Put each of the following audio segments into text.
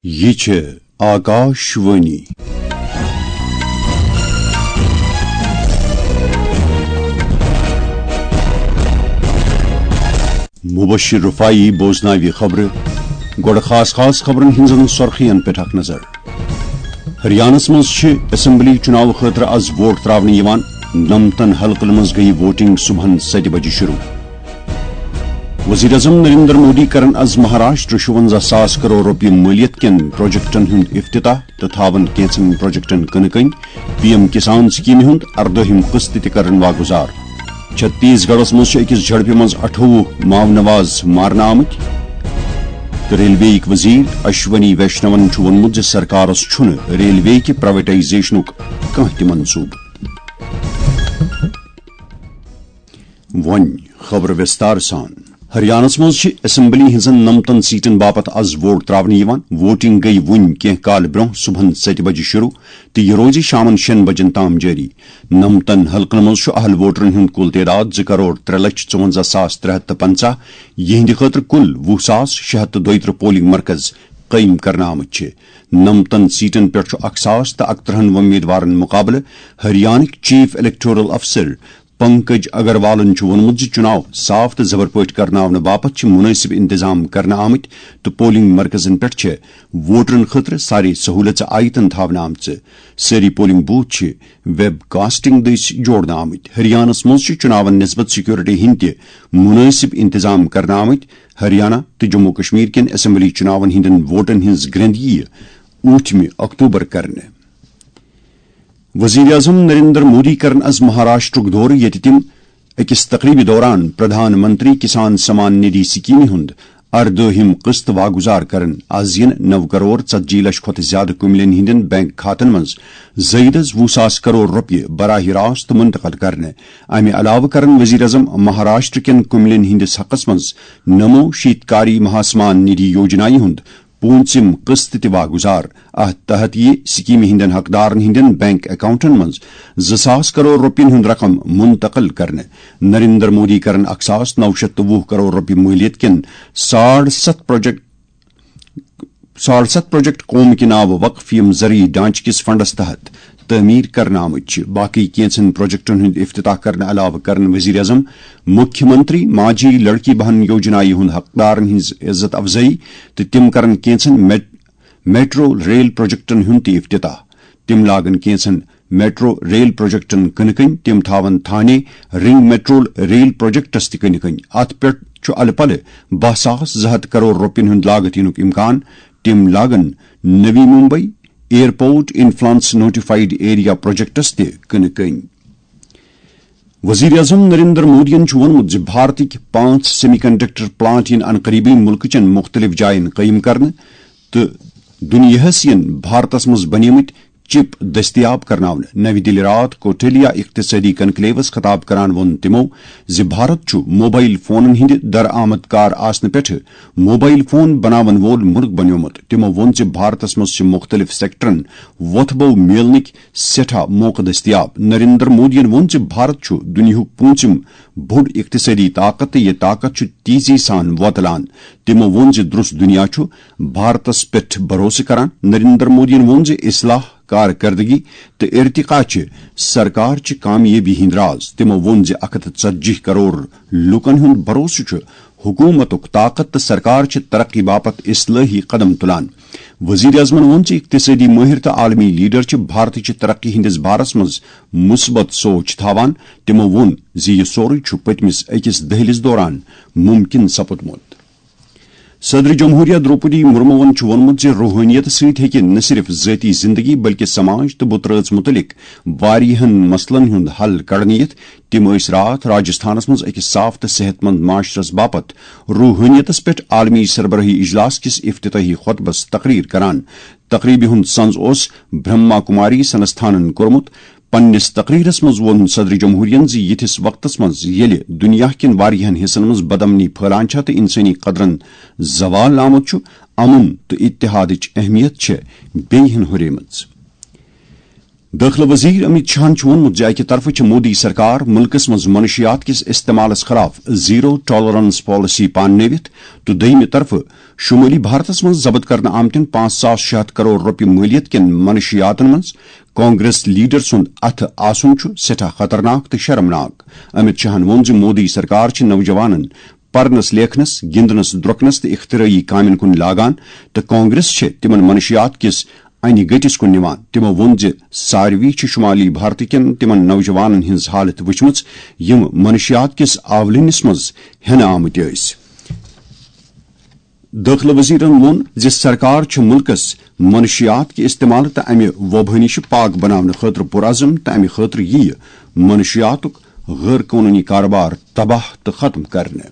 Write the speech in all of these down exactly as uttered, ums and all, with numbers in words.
یہِ چھِ آکاش وانی۔ مبشر رفاعی بوزناوِ خبرٕ۔ گۄڈٕ خاص خاص خبرن ہٕنٛزن سۄرخین پٮ۪ٹھ اکھ نظر۔ ہریانس منٛز چھِ اسمبلی چُناوٕ خٲطرٕ از ووٹ تراونہٕ یِوان۔ نمتن حلقن منٛز گٔیہِ ووٹنگ صبحن ستہِ بجہِ شروع۔ وزیر اعظم نریندر مودی کرن از مہاراشٹر شُونزہ ساس کرور رۄپیہِ مٲلیت کٮ۪ن پروجیکٹن ہُنٛد افتتاح تہٕ تھاون کینٛژن پروجیکٹن کٕنہٕ کٔنۍ۔ پی ایم کسان سکیمہِ ہُنٛد اردٲہِم قسط تہِ کرن واگُزار۔ چھتیس گڑھس منٛز چھِ أکِس جھڑپہِ منٛز اَٹھووُہ ماونواز مارنہٕ آمٕتۍ۔ تہٕ ریلوے یِکۍ وزیر اشونی ویشنون چھُ ووٚنمُت زِ سرکارس چھُنہٕ ریلوے کہِ پرائیویٹائزیشنُک کانٛہہ تہِ منصوٗبہٕ۔ وۄنۍ خبر وِستار سان۔ ہریانس منٛز چھِ اسمبلی ہٕنٛزن نمتن سیٹن باپتھ از ووٹ تراونہٕ یِوان۔ ووٹنگ گٔیہِ وُنۍ کینٛہہ کالہٕ برٛونٛہہ صبحن ستہِ بجہِ شروع تہٕ یہِ روزِ شامن شیٚن بجن تام جٲری۔ نمتن حلقن منٛز چھُ اہل ووٹرن ہُنٛد کُل تعداد زٕ کرور ترٛےٚ لچھ ژُوَنزہ ساس ترٛےٚ ہتھ تہٕ پنٛژاہ، یِہنٛدِ خٲطرٕ کُل وُہ ساس شےٚ ہتھ تہٕ دۄیہِ ترٕٛہ پولنگ مرکز قٲیِم کرنہٕ آمٕتۍ چھِ۔ نمتن سیٹن پٮ۪ٹھ چھُ اکھ ساس تہٕ اکترٕٛہن وۄمیدوارن مقابلہٕ۔ ہریانٕکۍ چیف الیکٹورل افسر پنکج اگروالن چھُ ووٚنمُت زِ چُناو صاف تہٕ زبر پٲٹھۍ کرناونہٕ باپتھ چھِ مُنٲسِب انتظام کرنہٕ آمٕتۍ تہٕ پولنگ مرکزن پٮ۪ٹھ چھِ ووٹرن خٲطرٕ سارے سہوٗلژٕ آیتن تھاونہٕ آمژٕ۔ سٲری پولنگ بوتھ چھِ ویب کاسٹنگ دٔسۍ جوڑنہٕ آمٕتۍ۔ ہریانس منٛز چھِ چُناون نسبت سیکورٹی ہٕنٛدۍ تہِ مُنٲسِب انتظام کرنہٕ آمٕتۍ۔ ہریانہ تہٕ جموں کشمیر کٮ۪ن اسمبلی چُناون ہٕنٛدٮ۪ن ووٹن ہٕنٛز گرٛنٛد یِیہِ ٲٹھمہِ اکتوبر کرنہٕ۔ وزیر اعظم نریندر مودی کرن از مہاراشٹرُک دورٕ، ییٚتہِ تِم أکِس تقریبہِ دوران پردھان منتری کسان سمان ندھی سکیمہِ ہُنٛد اردٲہِم قسط واگُزار کرن۔ از یِن نو کرور ژتجی لچھ کھۄتہٕ زیادٕ کُملٮ۪ن ہٕنٛدٮ۪ن بینک کھاتن منٛز زٲیدس وُہ ساس کرور رۄپیہِ براہ راست منتقل کرنہٕ۔ امہِ علاوٕ کرن وزیر اعظم مہاراشٹر کٮ۪ن کُملٮ۪ن ہٕنٛدِس حقس منٛز نمو شیتکاری مہاسمان ندھی یوجنایہِ ہُنٛد پوٗنٛژِم قسط تہِ واگُزار۔ اتھ تحت یِیہِ سکیمہِ ہٕنٛدٮ۪ن حقدارن ہٕنٛدٮ۪ن بینک اکاؤنٹن منٛز زٕ ساس کرور رۄپین ہُنٛد رقم منتقل کرنہٕ۔ نریندر مودی کرن اکھ ساس نو شیتھ تہٕ وُہ کرور رۄپیہِ مٲلیت کٮ۪ن ساڑ ستھ پروجیکٹ، ساڑ ستھ پروجیکٹ قوم کہِ ناوٕ وقف، یِم زرعی ڈھانچہٕ کِس فنڈس تحت تعمیٖر کرنہٕ آمٕتۍ چھِ۔ باقٕے کینٛژن پروجیکٹن ہُنٛد افتتاح کرنہٕ علاوٕ کرن وزیر اعظم مکھیہ منتری ماجھی لڑکی بہن یوجنایہِ ہُنٛد حقدارن ہٕنٛز عزت افزٲیی تہٕ تِم کرن کینٛژن میٹ-، میٹرو ریل پروجیکٹن ہُنٛد تہِ افتتاح۔ تِم لاگن کینٛژن میٹرو ریل پروجیکٹن کٕنہٕ کٔنۍ۔ تِم تھاون تھانے رنگ میٹرو ریل پروجیکٹس تہِ کٕنہٕ کٔنۍ۔ اتھ پٮ۪ٹھ چھُ الہٕ پلہٕ باہ ساس زٕ ہتھ کرور رۄپین ہُنٛد لاگت یِنُک امکان۔ تِم لاگن Navi Mumbai airport influence notified area projects تہِ کٕنہٕ کٔنۍ۔ وزیر اعظم نریندر مودیَن چھُ ووٚنمُت زِ بھارتٕکۍ پانٛژھ سیمی کنڈکٹر پلانٹ یِن عنقریبٕے مُلکہٕ چٮ۪ن مُختٔلِف جایَن قٲیِم کرنہٕ تہٕ دُنیاہَس یِن بھارتَس منٛز بنیمٕتۍ چپ دٔستیاب کرناونہٕ۔ نَوِ دِلہِ راتھ کوٹھلیا اقتصٲدی کنکلیوَس خطاب کران ووٚن تِمَو زِ بھارت چھُ موبائل فونَن ہٕنٛدِ درآمد کار آسنہٕ پٮ۪ٹھٕ موبائل فون بناون وول مُلک بنیومُت۔ تِمَو ووٚن زِ بھارتَس منٛز چھِ مُختٔلِف سیکٹرن وۄتھٕ بو میلنٕکۍ سٮ۪ٹھاہ موقعہٕ دٔستیاب۔ نریندر مودیَن ووٚن زِ بھارت چھُ دُنیاہُک پوٗنٛژِم بوٚڑ اقتصٲدی طاقت تہٕ یہِ طاقت چھُ تیزی سان وۄتلان۔ تِمَو ووٚن زِ درٛوس دُنیا چھُ بھارتَس پٮ۪ٹھ بھروسہٕ کران۔ نریندر مودیَن ووٚن زِ اصلاح، کارکردگی تہٕ ارتقا چھِ سرکار چہِ کامیٲبی ہٕنٛدۍ راز۔ تِمَو ووٚن زِ اکھ ہتھ تہٕ ژتجی کرور لوٗکَن ہُنٛد بھروسہٕ چھُ حکوٗمتُک طاقت تہٕ سرکار چھِ ترقی باپتھ اصلٲحی قدم تُلان۔ وزیر اعظمَن ووٚن زِ اقتصٲدی مٲہِر تہٕ عالمی لیڈر چھِ بھارتٕچہِ ترقی ہٕنٛدِس بارس منٛز مثبت سونچ تھاوان۔ تِمَو ووٚن زِ یہِ سورُے چھُ پٔتمِس أکِس دٔہلِس دوران مُمکِن سپُدمُت۔ صدر جمہوریہ دروپدی مرموَن چھُ ووٚنمُت زِ روحٲنیت سۭتۍ ہیٚکہِ نہ صرف ذٲتی زندگی بلکہِ سماج تہٕ بُترٲژ مُتعلق واریاہَن مسلن ہُنٛد حل کڑنہٕ یِتھ۔ تِم ٲسۍ راتھ راجستھانَس منٛز أکِس صاف تہٕ صحت مند معاشرس باپتھ روحٲنیتَس پٮ۪ٹھ عالمی سربراہی اجلاس کِس افتتاحی خطبس تقریر کران۔ تقریبہِ ہُنٛد سنز اوس برہما کماری سنستھانن کوٚرمُت۔ پننِس تقریرس منٛز ووٚن صدر جمہوریہن زِ یِتھِس وقتس منٛز ییٚلہِ دُنیا کٮ۪ن واریاہن حصن منٛز بدامنی پھٔہلان چھےٚ تہٕ انسٲنی قدرن زوال آمُت چھُ، امن تہٕ اتحادٕچ اہمیت چھےٚ بیٚیہِ ہن ہُریمٕژ۔ دٲخلہٕ وزیر امت شاہن چھُ ووٚنمُت زِ اکہِ طرفہٕ چھِ مودی سرکار مُلکس منٛز منشیات کِس استعمالس خلاف زیرو ٹالرنس پالیسی پاننٲوِتھ تہٕ دوٚیمہِ طرفہٕ شمٲلی بھارتس منٛز ضبط کرنہٕ آمتٮ۪ن پانٛژھ ساس شےٚ ہتھ کرور رۄپیہِ مٲلیت کٮ۪ن منشیاتن منٛز کانگریس لیڈر سُنٛد اتھٕ آسُن چھُ سٮ۪ٹھاہ خطرناک تہٕ شرمناک۔ امت شاہن ووٚن زِ مودی سرکار چھِ نوجوانن پرنس، لیکھنس، گندنس، درۄکنس تہٕ اختراعی کامٮ۪ن کُن لاگان تہٕ کانگریس چھِ تِمن منشیات کِس انہِ گٔٹِس کُن نِوان۔ تِمو ووٚن زِ ساروی چھِ شمالی بھارتہٕ کٮ۪ن تِمن نوجوانن ہٕنٛز حالت وٕچھمٕژ، یِم منشیات کِس آولِنِس منٛز ہٮ۪نہٕ آمٕتۍ ٲسۍ۔ دٲخلہٕ وزیرن ووٚن زِ سرکار چھِ مُلکس منشیات کہِ استعمال تہٕ امہِ وۄبہٕ نِش پاک بناونہٕ خٲطرٕ پُرعزم تہٕ امہِ خٲطرٕ یِیہِ منشیاتُک غٲر قونوٗنی کارٕبار تباہ تہٕ ختم کرنہٕ۔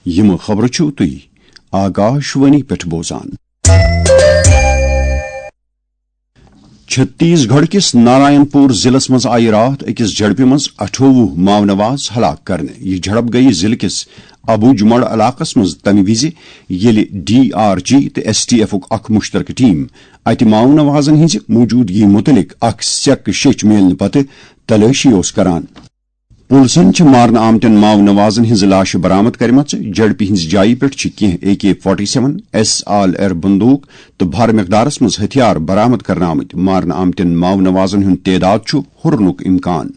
یِم خبرٕ چھِو تُہۍ آکاش وانی پٮ۪ٹھ بوزان۔ چھتیس گڑھ کِس نارائن پور ضلعس منٛز آیہِ راتھ أکِس جھڑپہِ منٛز اَٹھووُہ ماونواز ہلاک کرنہٕ۔ یہِ جھڑپ گٔیہِ ضلعہٕ کِس ابو جمڑ علاقس منٛز تَمہِ وِزِ، ییٚلہِ ڈی آر جی تہٕ ایس ٹی ایفُک اکھ مُشترکہٕ ٹیم اَتہِ ماونوازن ہٕنٛزِ موجودگی مُتعلِق اکھ سیٚکھ شیٚچھ میلنہٕ پتہٕ تلٲشی اوس کران۔ پُلسن چھِ مارنہٕ آمتٮ۪ن ماونوازن ہٕنٛزٕ لاشہٕ برآمد کرِمژٕ۔ جھڑپہِ ہٕنٛزِ جایہِ پٮ۪ٹھ چھِ کینٛہہ A K forty seven, S L R بندوق تہٕ بھارٕ مقدارس منٛز ہتھیار برآمد کرنہٕ آمٕتۍ۔ مارنہٕ آمتٮ۪ن ماونوازن ہُنٛد تعداد چھُ ہُرنُک امکان۔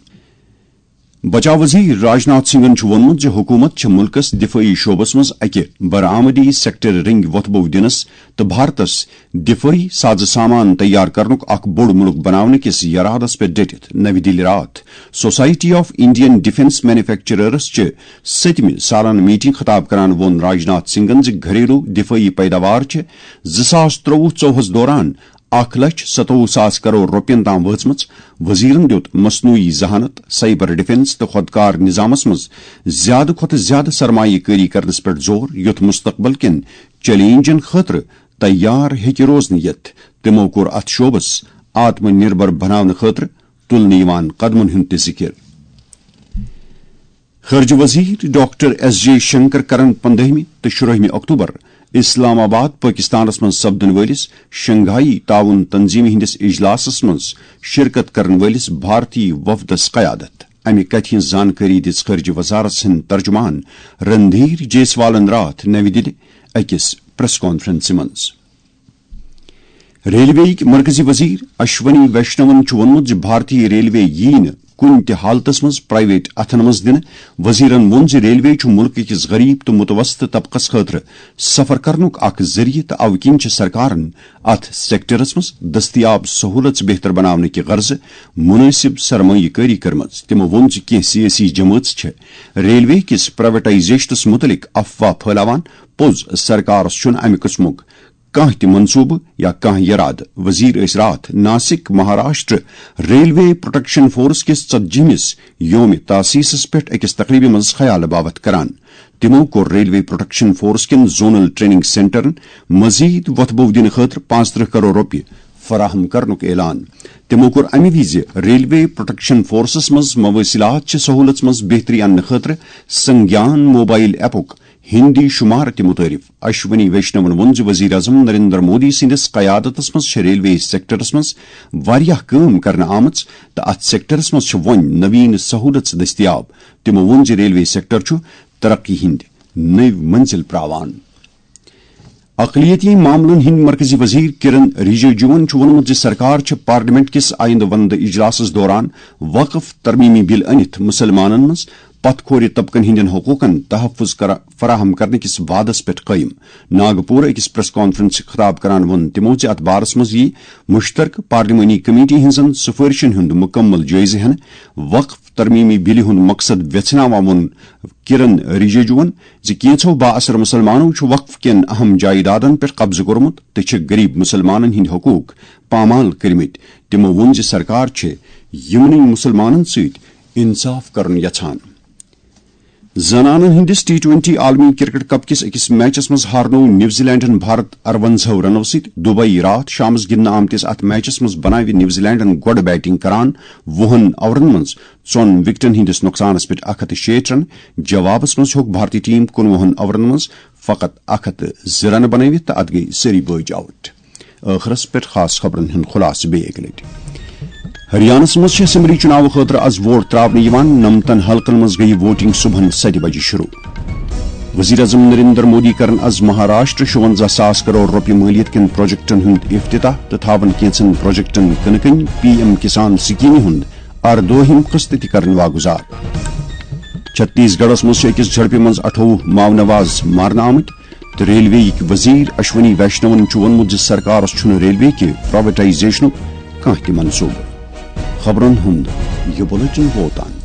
بچاو وزیر راجناتھ سنگھن چھُ ووٚنمُت زِ حکوٗمت چھِ مُلکَس دِفٲعی شعبَس منٛز اَکہِ برآمدی سیکٹر رنگۍ وۄتھبو دِنَس تہٕ بھارتَس دِفٲعی سازٕ سامان تیار کرنُک اکھ بوٚڑ مُلک بناونہٕ کِس یرادَس پٮ۪ٹھ ڈٔٹِتھ۔ نَوِ دِلہِ راتھ society of Indian defence manufacturers چہِ سٔتمہِ سالانہٕ میٹنگ خطاب کران ووٚن راجناتھ سنگھن زِ گھریلو دِفٲعی پیداوار چھِ زٕ ساس ترٛوُہ ژوٚوُہس دوران اکھ لچھ ستووُہ ساس کرور رۄپین تام وٲژمٕژ۔ وزیرن دِیُت مصنوعی ذہانت، سائبر ڈیفنس تہٕ خودکار نظامس منٛز زیادٕ کھۄتہٕ زیادٕ سرمایہ کٲری کرنس پٮ۪ٹھ زور، یُتھ مستقبل کٮ۪ن چیلنجن خٲطرٕ تیار ہیٚکہِ روزنہٕ یِتھ۔ تِمو کوٚر اتھ شعبس آتم نربھر بناونہٕ خٲطرٕ تُلنہٕ یِوان قدمن ہُنٛد تہِ ذِکِر۔ خارجہ وزیر ڈاکٹر ایس جے شنکر کرن پندہمہِ تہٕ شُرٲہمہِ اکتوبر اسلام آباد، پٲکستانس منٛز سپدن وٲلِس شنگھائی تعاون تنظیمہِ ہٕنٛدِس اجلاسس منٛز شرکت کرن وٲلِس بھارتی وفدس قیادت۔ امہِ کتھِ ہٕنٛز زانکٲری دِژ خارجہ وزارت ہٕنٛدۍ ترجمان رندھیر جیسوالن راتھ نَوِ دِلہِ أکِس پریس کانفرنسہِ منٛز۔ ریلوے یِکۍ مرکزی وزیر اشونی ویشنون چھُ ووٚنمُت زِ بھارتی ریلوے یِیہِ نہٕ کُنہِ تہِ حالتس منٛز پرائیویٹ اتھن منٛز دِنہٕ۔ وزیرن ووٚن زِ ریلوے چھُ مُلکہٕ کِس غریب تہٕ متوسط طبقس خٲطرٕ سفر کرنُک اکھ ذٔریعہٕ تہٕ اوٕ کِنۍ چھِ سرکارن اتھ سیکٹرس منٛز دستیاب سہولژ بہتر بناونہٕ کہِ غرضہٕ مناسب سرمایہ کٲری کٔرمٕژ۔ تِمو ووٚن زِ کینٛہہ سیٲسی جمٲژ چھِ ریلوے کِس پرائیویٹائزیشنس مُتعلق افواہ پھٲلاوان۔ پوٚز، سرکارس چھُنہٕ امہِ قٕسمُک کانٛہہ تہِ منصوٗبہٕ یا کانٛہہ یرادٕ۔ وزیر ٲسۍ راتھ Nashik, Maharashtra railway protection force کِس ژتجیمِس یوم تاسیسس پٮ۪ٹھ أکِس تقریبہِ منٛز خیالہٕ باوتھ کران۔ تِمو کوٚر ریلوے پروٹیکشن فورس کٮ۪ن زونل ٹریننگ سینٹرن مزید وۄتھبو دِنہٕ خٲطرٕ پانٛژترٕہ کرور رۄپیہِ فراہم کرنُک اعلان۔ تِمو کوٚر امہِ وِزِ ریلوے پروٹیکشن فورسس منٛز مواصلات چہِ سہولژ منٛز بہتری اننہٕ خٲطرٕ سنگیان موبائل ایپُک ہندی شمار تہِ متعارف۔ اشونی ویشنون ووٚن زِ وزیر اعظم نریندر مودی سٕنٛدِس قیادتس منٛز چھِ ریلوے سیکٹرس منٛز واریاہ کٲم کرنہٕ آمٕژ تہٕ اتھ سیکٹرس منٛز چھِ وۄنۍ نوین سہولژ دٔستیاب۔ تِمو ووٚن زِ ریلوے سیکٹر چھُ ترقی ہٕنٛدۍ نٔوۍ منزل پراوان۔ اقلیتی معاملن ہٕنٛدۍ مرکزی وزیر کرن رجیجوَن چھُ ووٚنمُت زِ سرکار چھِ پارلیمنٹ کِس آیندٕ وندٕ اجلاسَس دوران وقف ترمیمی بل أنِتھ مُسلمانَن منٛز پتھ کھورِ طبقن ہٕنٛدٮ۪ن حقوقن تحفظ کرا-، فراہم کرنہٕ کِس وعدس پٮ۪ٹھ قٲیِم۔ ناگپور أکِس پریس کانفرنسہِ خطاب کران ووٚن تِمو زِ اتھ بارس منٛز یِیہِ مشترکہٕ پارلیمانی کمیٹی ہٕنٛزن سفارشن ہُنٛد مُکمل جٲیزٕ ہٮ۪نہٕ۔ وقف ترمیمی بلہِ ہُنٛد مقصد ویژھناوان ووٚن کرن رجیجوَن زِ کینٛژھو بااثر مُسلمانو چھُ وقف کٮ۪ن اہم جائیدادن پٮ۪ٹھ قبضہٕ کوٚرمُت تہٕ چھِ غریب مُسلمانن ہٕنٛدۍ حقوق پامال کٔرمٕتۍ۔ تِمو ووٚن زِ سرکار چھِ یِمنٕے مُسلمانن سۭتۍ انصاف کرُن یژھان۔ زنانن ہٕنٛدِس ٹی ٹوئنٹی عالمی کرکٹ کپ کِس أکِس میچس منٛز ہارنوو نیوزی لینڈن بھارت ارونزاہ رنو سۭتۍ۔ دُبے راتھ شامس گِنٛدنہٕ آمتِس اتھ میچس منٛز بناوِ نیوزی لینڈن گۄڈٕ بیٹنگ کران وُہن اورن منٛز ژۄن وکٹن ہٕنٛدِس نۄقصانس پٮ۪ٹھ اکھ ہتھ تہٕ شیٹھ رن۔ جوابس منٛز ہیوٚک بھارتی ٹیم کُنوُہن اورن منٛز فقط اکھ ہتھ تہٕ زٕ رن بنٲوِتھ تہٕ اتھ گٔیہِ سٲری بٲجۍ آؤٹ۔ ٲخرس پٮ۪ٹھ خاص خبرن ہُنٛد خلاصہٕ بیٚیہِ اکہِ لٹہِ۔ ہریانس منٛز چھِ اسمبلی چُناوٕ خٲطرٕ از ووٹ تراونہٕ یِوان۔ نَمتَن حلقن منٛز گٔیہِ ووٹنگ صبحن ستہِ بجہِ شروع۔ وزیر اعظم نریندر مودی کرن از مہاراشٹر شُونزہ ساس کرور رۄپیہِ مٲلیت کٮ۪ن پروجیکٹن ہُنٛد افتتاح تہٕ تھاون کینٛژن پروجیکٹن کٕنہٕ کٔنۍ پی ایم کسان سکیمہِ ہُنٛد اردٲہِم قسط تہِ کرن واگُزار۔ چھتیس گڑھس منٛز چھِ أکِس جھڑپہِ منٛز اَٹھووُہ ماونواز مارنہٕ آمٕتۍ تہٕ ریلوے یِکۍ وزیر اشونی ویشنون چھُ ووٚنمُت زِ سرکارس چھُنہٕ ریلوے کہِ پرائیویٹائزیشنُک کانٛہہ تہِ منصوبہٕ۔ خبرن ہُنٛد یہِ بُلیٹن ووت تام۔